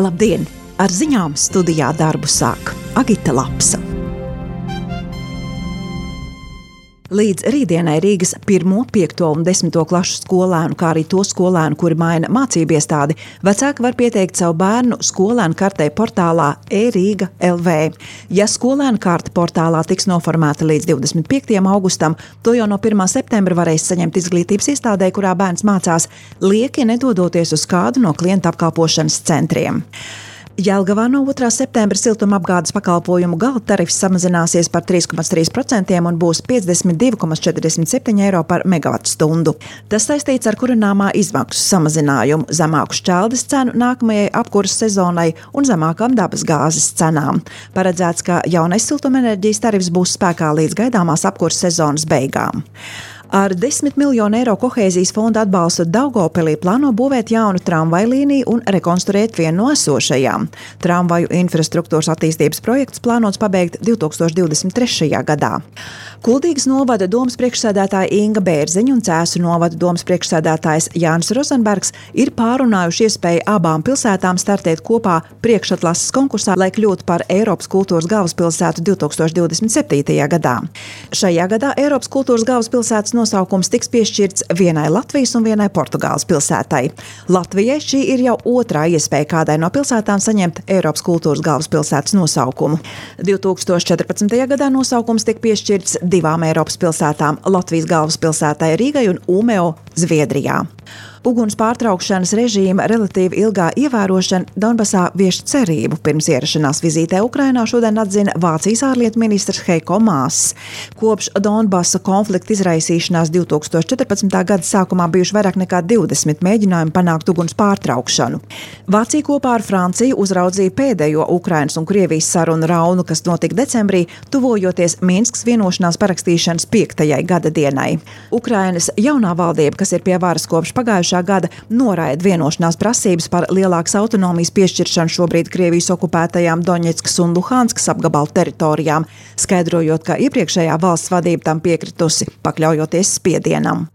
Labdien! Ar ziņām studijā darbu sāk Agita Lapsa. Līdz rītdienai Rīgas 1., 5. un 10. klašu skolēnu, kā arī to skolēnu, kuri maina mācību iestādi, vecāki var pieteikt savu bērnu skolēnu kartei portālā e-Rīga LV. Ja skolēnu karte portālā tiks noformēta līdz 25. augustam, to jau no 1. septembra varēs saņemt izglītības iestādē, kurā bērns mācās, lieki nedodoties uz kādu no klienta apkalpošanas centriem. Jelgavā no 2. septembra siltumapgādes pakalpojumu gala tarifs samazināsies par 3,3% un būs 52,47 eiro par megavatstundu. Tas saistīts ar kurināmā izmaksu samazinājumu, zemāku šķeldes cenu nākamajai apkuras sezonai un zemākām dabas gāzes cenām. Paredzēts, ka jaunais siltumenerģijas tarifs būs spēkā līdz gaidāmās apkuras sezonas beigām. Ar 10 miljonu eiro kohēzijas fonda atbalstu Daugavpilī plāno būvēt jaunu tramvaju līniju un rekonstruēt vienu no esošajām. Tramvaju infrastruktūras attīstības projekts plānots pabeigt 2023. gadā. Kuldīgas novada domas priekšsēdētāja Inga Bērziņa un Cēsu novada domas priekšsēdētājs Jānis Rozenbergs ir pārunājuši iespēju abām pilsētām startēt kopā priekšatlases konkursā, lai kļūtu par Eiropas kultūras galvaspilsētu 2027. gadā. Šajā gadā Eiropas kultūras galvaspilsētas nosaukums tiks piešķirts vienai Latvijas un vienai Portugāles pilsētai. Latvijai šī ir jau otrā iespēja kādai no pilsētām saņemt Eiropas kultūras galvaspilsētas nosaukumu. 2014. gadā nosaukums tika piešķirts divām Eiropas pilsētām – Latvijas galvaspilsētai Rīgai un Umeo Zviedrijā. Uguns pārtraukšanas režīma relatīvi ilgā ievērošana Donbasā vieš cerību. Pirms ierašanās vizītē Ukrainā šodien atzina Vācijas ārlietu ministrs Heiko Maas. Kopš Donbasa konflikta izraisīšanās 2014. gada sākumā bijuši vairāk nekā 20 mēģinājumi panākt uguns pārtraukšanu. Vācija kopā ar Franciju uzraudzīja pēdējo Ukrainas un Krievijas sarunu raunu, kas notika decembrī, tuvojoties Minskas vienošanās parakstīšanas 5. gada dienai. Ukrainas jaunā valdība, kas ir pie varas kopš pagājušā gada, noraida vienošanās prasības par lielākas autonomijas piešķiršanu šobrīd Krievijas okupētajām Doņetskas un Luhanskas apgabalu teritorijām, skaidrojot, ka iepriekšējā valsts vadība tam piekritusi, pakļaujoties spiedienam.